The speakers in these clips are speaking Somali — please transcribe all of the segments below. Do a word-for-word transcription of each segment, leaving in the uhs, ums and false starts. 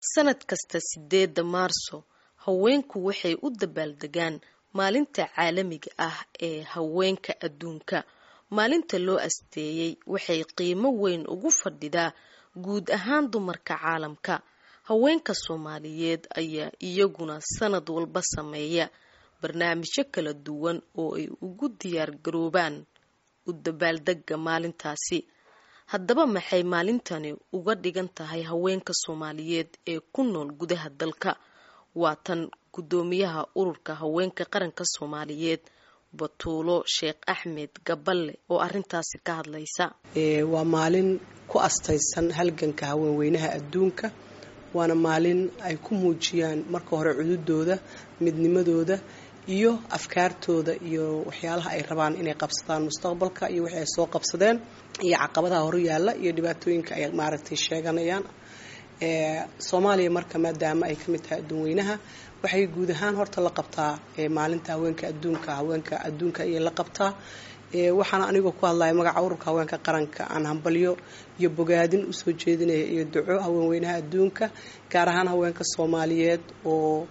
Sanad kasta sideeda Maarso, haweenku waxay u dabaaldegaan Maalinta Caalamiga ah ee Haweenka Adduunka. Maalinta loo asteeyay waxay qiimo weyn ugu fadhidaa guud ahaan dumarka caalamka. Haweenka Soomaaliyeed ayaa iyaguna sanad walba sameeya barnaamijyo kala duwan oo ay ugu diyaar garoobaan u dabaaldegga maalintaasi. Haddaba, maxay maalintani uga dhigan tahay haweenka Soomaaliyeed ee ku nool gudaha dalka? Waa tan guddoomiyaha Ururka Haweenka Qaranka Soomaaliyeed, Batuulo Sheekh Axmed Gaballe, oo arintaasi ka hadlaysa. Waa maalin ku astaysan halganka haweenweynaha adduunka, waana maalin ay ku muujiyaan marka hore cududooda, midnimadooda iyo afkaartooda iyo waxyaalaha ay rabaan inay qabsadaan mustaqbalka iyo wixii ay soo qabsadeen iyo caqabadaha horyaala iyo dhibaatooyinka ay maaragtay sheeganayaan. Soomaaliya marka, maadaama ay kamid tahay adduunweynaha, waxay guud ahaan horta la qabtaa Maalinta Haweenka Adduunka, haweenka adduunka ayay la qabtaa. Waxaana anigoo ku hadlaya magaca Ururka Haweenka Qaranka aan hambalyo iyo bogaadin usoo jeedinaya iyo duco haweenweynaha adduunka, gaar ahaan haweenka Soomaaliyeed oo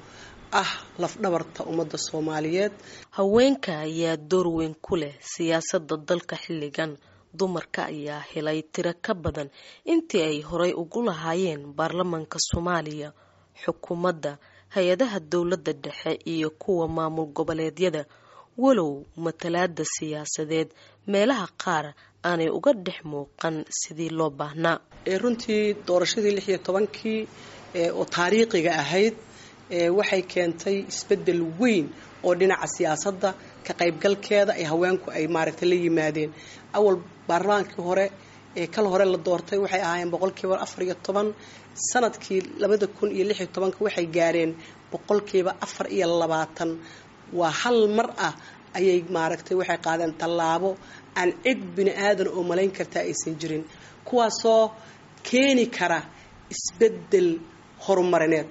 ah lafdhabarta ummadda Soomaaliyeed. Haweenka ayaa door weyn ku leh siyaasadda dalka xilligan. Dumarka ayaa helay tiro ka badan intii ay horay ugu lahaayeen baarlamaanka Soomaaliya, xukuumadda, hay-adaha dowladda dhexe iyo kuwa maamul goboleedyada, walow matalaada siyaasadeed meelaha qaar aanay uga dhex muuqan sidii loo baahnaa. Runtii doorashadii lix iyo tobankii oo taariikhiga ahayd waxay keentay isbeddel weyn oo dhinaca siyaasadda ka qaybgalkeeda ay haweenku ay maaragtay la yimaadeen. Awal baarlamaankii hore ee kal hore la doortay waxay ahaayeen boqolkiiba afar iyo toban. Sanadkii labada kun iyo lix iyo tobanka waxay gaareen boqolkiiba afar iyo labaatan. Waa hal mar ah ayay maaragtay waxay qaadeen tallaabo aan cid bini aadan oo malayn kartaa aysan jirin, kuwaasoo keeni kara isbeddel horumarineed.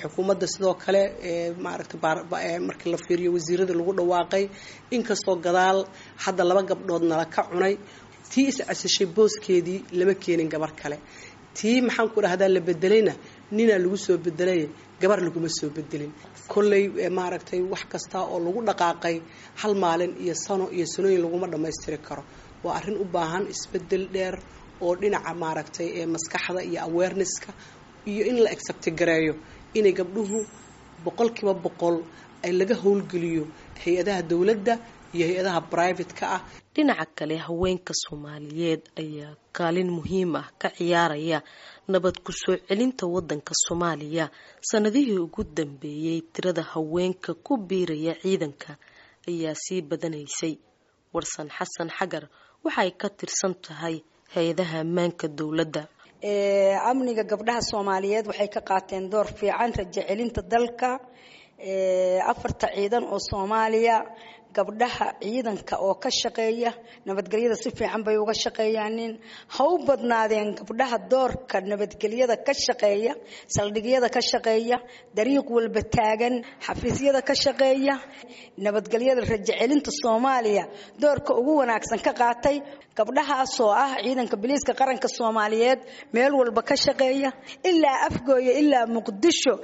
Xukuumadda sidoo kale maaragtay, markii la fiiriyo wasiirada lagu dhawaaqay, inkastoo gadaal hadda laba gabdhood nala ka cunay, tii is-casishay booskeedii lama keenin gabar kale, tii maxaan ku dhahdaa la bedelayna ninaa lagu soo bedelay, gabar laguma soo bedelin. Kolley maaragtay wax kasta oo lagu dhaqaaqay hal maalin iyo sano iyo sanooyin laguma dhammaystiri karo. Waa arrin u baahan isbedel dheer oo dhinaca maaragtay ee maskaxda iyo awareness-ka iyo in la accept gareeyo inay gabdhuhu boqolkiiba boqol ay laga howlgeliyo hay-adaha dowladda iyo hay-adaha private-ka ah. Dhinaca kale, haweenka Soomaaliyeed ayaa kaalin muhiim ah ka ciyaaraya nabad ku soo celinta wadanka Soomaaliya. Sanadihii ugu dambeeyey, tirada haweenka ku biiraya ciidanka ayaa sii badanaysay. Warsan Xasan Xagar waxay ka tirsan tahay hay-adaha ammaanka dowladda. Amniga gabdhaha Soomaaliyeed waxay ka qaateen door fiican rajo celinta dalka. Afarta ciidan oo Soomaaliya, gabdhaha ciidanka oo ka shaqeeya nabadgelyada si fiican bay uga shaqeeyaanin. Ha u badnaadeen gabdhaha doorka nabadgelyada ka shaqeeya, saldhigyada ka shaqeeya, dariiq walba taagan, xafiisyada ka shaqeeya, nabadgelyada rajo celinta Soomaaliya doorka ugu wanaagsan ka qaatay, gabdhahaasoo ah Ciidanka Biliiska Qaranka Soomaaliyeed meel walba ka shaqeeya, ilaa Afgooye ilaa Muqdisho.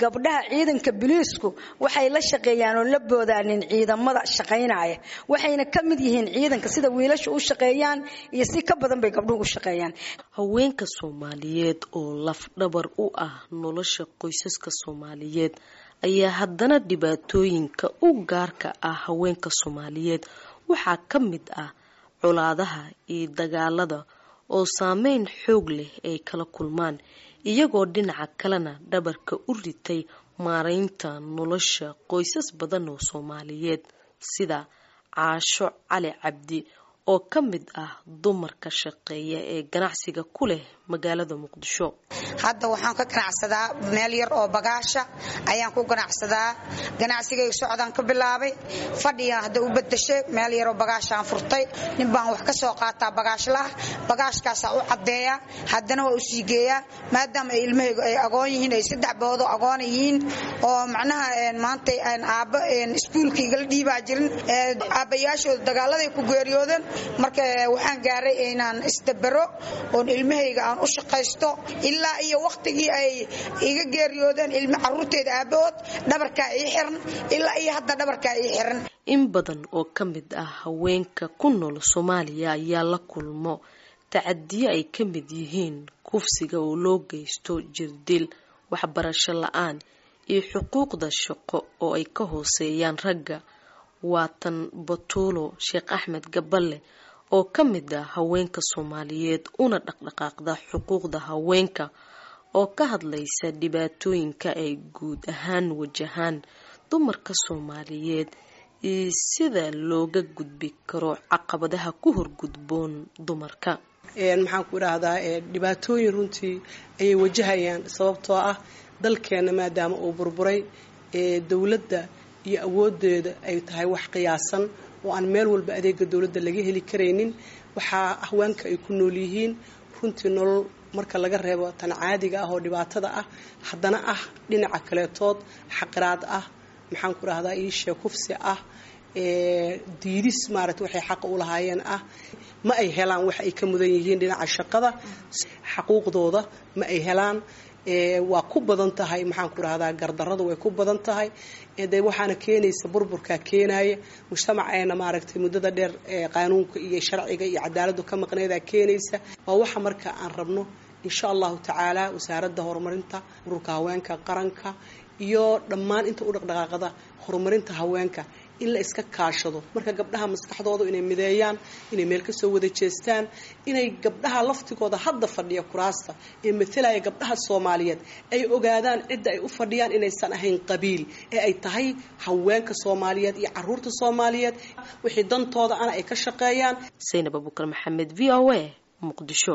Gabdhaha ciidanka biliisku waxay la shaqeeyaan oo la boodaanin ciidamada shaqaynaya, waxayna ka mid yihiin ciidanka. Sida wiilashu u shaqeeyaan iyo si ka badan bay gabdhuhu u shaqeeyaan. Haweenka Soomaaliyeed oo lafdhabar u ah nolosha qoysaska Soomaaliyeed ayaa haddana dhibaatooyinka u gaarka ah haweenka Soomaaliyeed waxaa ka mid ah colaadaha iyo dagaalada oo saameyn xoog leh ay kala kulmaan, iyagoo dhinaca kalena dhabarka u ritay maareynta nolosha qoysas badan oo Soomaaliyeed, sida Caasho Cali Cabdi oo ka mid ah dumarka shaqeeya ee ganacsiga ku leh magaalada Muqdisho. Hadda waxaan ka ganacsadaa meel yar oo bagaasha ayaan ku ganacsadaa. Ganacsigayga socdaan ka bilaabay, fadhiyaan hadda u bedashay, meel yaroo bagaashaan furtay. Nin baan wax ka soo qaataa bagaashlaah, bagaashkaasaa u caddeeya, haddana waa u sii geeyaa, maadaama ay ilmahaygu ay agoon yihiin, ay saddex boodo agoona yihiin, oo macnaha maanta aabba iskuulka igala dhiibaa jirin, aabbayaashooda dagaaladay ku geeriyoodeen. Marka waxaan gaaray inaan isdabero oon ilmahayga aan oon u shaqaysto ilaa iyo wakhtigii ay iga geeriyoodeen ilmo caruurteeda aabahood dhabarkaa ii xiran, ilaa iyo hadda dhabarkaa ii xiran. In badan oo ka mid ah haweenka ku nool Soomaaliya ayaa la kulmo tacadiyo ay ka mid yihiin kufsiga oo loo geysto, jirdil, waxbarasho la-aan iyo xuquuqda shaqo oo ay ka hooseeyaan ragga. Waa tan Batuulo Sheekh Axmed Gaballe oo ka mid ah haweenka Soomaaliyeed una dhaqdhaqaaqda xuquuqda haweenka oo ka hadlaysa dhibaatooyinka ay guud ahaan wajahaan dumarka Soomaaliyeed iyo sida looga gudbi karo caqabadaha ku horgudboon dumarka. Maxaan ku idhaahdaa, dhibaatooyin runtii ayay wajahayaan, sababtoo ah dalkeena maadaama uu burburay, dowladda iyo awoodeeda ay tahay wax qiyaasan oo aan meel walba adeega dowladda laga heli karaynin. Waxaa haweenka ay ku nool yihiin runtii nolol marka laga reebo tan caadiga ah oo dhibaatada ah, haddana ah dhinaca kaleetood xaqiraad ah, maxaan ku rahdaa, iishee kufsi ah, diidis maaragta waxay xaqa u lahaayeen ah. Ma ay helaan wax ay ka mudan yihiin dhinaca shaqada, xaquuqdooda ma ay helaan. Waa ku badan tahay, maxaan ku rahdaa, gardarradu way ku badan tahay. De waxaana keenaysa burburkaa keenaya mujtamaceena maaragtay muddada dheer qaanuunka iyo sharciga iyo cadaaladdu ka maqneedaa keenaysa. Waa waxa marka aan rabno insha allahu tacaala wasaaradda horumarinta, ururka haweenka qaranka iyo dhammaan inta u dhaqdhaqaaqda horumarinta haweenka in la iska kaashado. Marka gabdhaha maskaxdooda inay mideeyaan, inay meel kasoo wada jeestaan, inay gabdhaha laftigooda hadda fadhiya kuraasta ee matalaya gabdhaha Soomaaliyeed ay ogaadaan cidda ay u fadhiyaan inaysan ahayn qabiil ee ay tahay haweenka Soomaaliyeed iyo caruurta Soomaaliyeed, wixii dantooda ana ay ka shaqeeyaan. Saynab Abuukar Maxamed, V O A, Muqdisho.